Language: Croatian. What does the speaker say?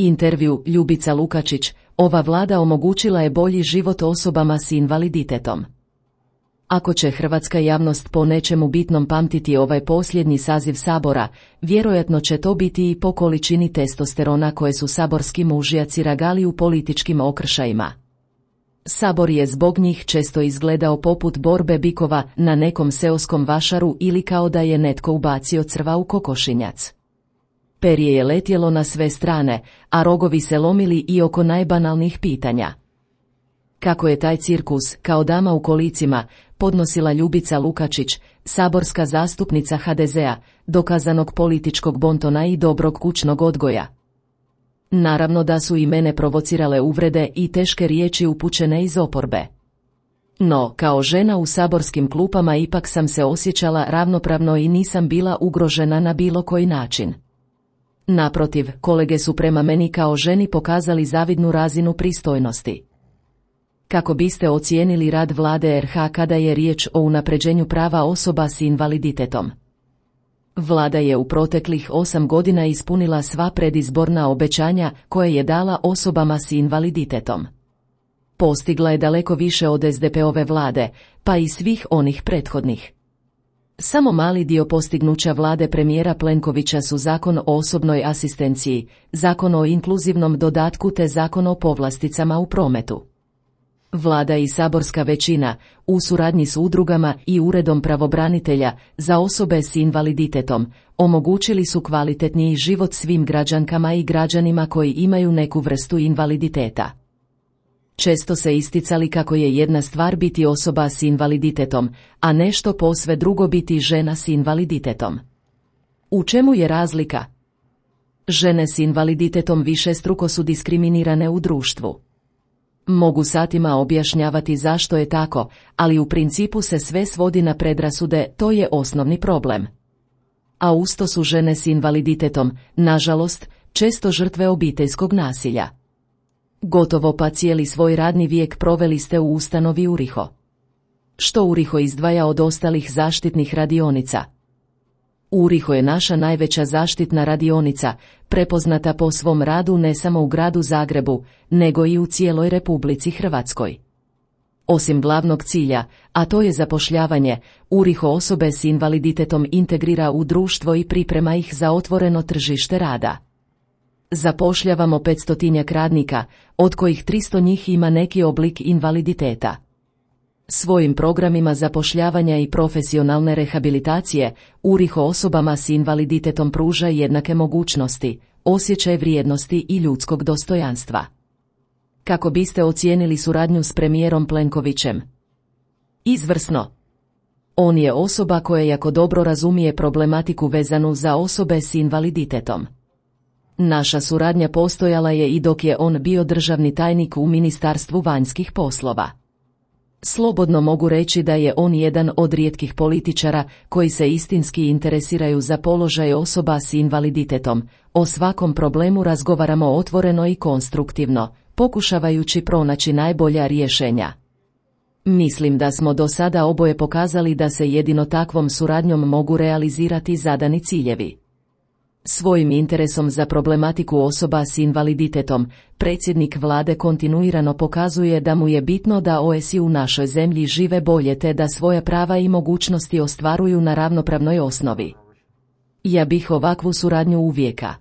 Intervju, Ljubica Lukačić, ova vlada omogućila je bolji život osobama s invaliditetom. Ako će hrvatska javnost po nečemu bitnom pamtiti ovaj posljednji saziv Sabora, vjerojatno će to biti i po količini testosterona koje su saborski mužjaci ragali u političkim okršajima. Sabor je zbog njih često izgledao poput borbe bikova na nekom seoskom vašaru ili kao da je netko ubacio crva u kokošinjac. Perje je letjelo na sve strane, a rogovi se lomili i oko najbanalnijih pitanja. Kako je taj cirkus, kao dama u kolicima, podnosila Ljubica Lukačić, saborska zastupnica HDZ-a, dokazanog političkog bontona i dobrog kućnog odgoja. Naravno da su i mene provocirale uvrede i teške riječi upućene iz oporbe. No, kao žena u saborskim klupama ipak sam se osjećala ravnopravno i nisam bila ugrožena na bilo koji način. Naprotiv, kolege su prema meni kao ženi pokazali zavidnu razinu pristojnosti. Kako biste ocijenili rad vlade RH kada je riječ o unapređenju prava osoba s invaliditetom? Vlada je u proteklih 8 godina ispunila sva predizborna obećanja koje je dala osobama s invaliditetom. Postigla je daleko više od SDP-ove vlade, pa i svih onih prethodnih. Samo mali dio postignuća vlade premijera Plenkovića su Zakon o osobnoj asistenciji, Zakon o inkluzivnom dodatku te Zakon o povlasticama u prometu. Vlada i saborska većina, u suradnji s udrugama i Uredom pravobranitelja za osobe s invaliditetom, omogućili su kvalitetniji život svim građankama i građanima koji imaju neku vrstu invaliditeta. Često se isticali kako je jedna stvar biti osoba s invaliditetom, a nešto posve drugo biti žena s invaliditetom. U čemu je razlika? Žene s invaliditetom višestruko su diskriminirane u društvu. Mogu satima objašnjavati zašto je tako, ali u principu se sve svodi na predrasude, to je osnovni problem. A usto su žene s invaliditetom, nažalost, često žrtve obiteljskog nasilja. Gotovo pa cijeli svoj radni vijek proveli ste u ustanovi URIHO. Što URIHO izdvaja od ostalih zaštitnih radionica? URIHO je naša najveća zaštitna radionica, prepoznata po svom radu ne samo u gradu Zagrebu, nego i u cijeloj Republici Hrvatskoj. Osim glavnog cilja, a to je zapošljavanje, URIHO osobe s invaliditetom integrira u društvo i priprema ih za otvoreno tržište rada. Zapošljavamo 500 radnika, od kojih 300 njih ima neki oblik invaliditeta. Svojim programima zapošljavanja i profesionalne rehabilitacije, URIHO osobama s invaliditetom pruža jednake mogućnosti, osjećaj vrijednosti i ljudskog dostojanstva. Kako biste ocijenili suradnju s premijerom Plenkovićem? Izvrsno. On je osoba koja jako dobro razumije problematiku vezanu za osobe s invaliditetom. Naša suradnja postojala je i dok je on bio državni tajnik u Ministarstvu vanjskih poslova. Slobodno mogu reći da je on jedan od rijetkih političara koji se istinski interesiraju za položaj osoba s invaliditetom. O svakom problemu razgovaramo otvoreno i konstruktivno, pokušavajući pronaći najbolja rješenja. Mislim da smo do sada oboje pokazali da se jedino takvom suradnjom mogu realizirati zadani ciljevi. Svojim interesom za problematiku osoba s invaliditetom, predsjednik vlade kontinuirano pokazuje da mu je bitno da OSI u našoj zemlji žive bolje te da svoja prava i mogućnosti ostvaruju na ravnopravnoj osnovi. Ja bih ovakvu suradnju uvijeka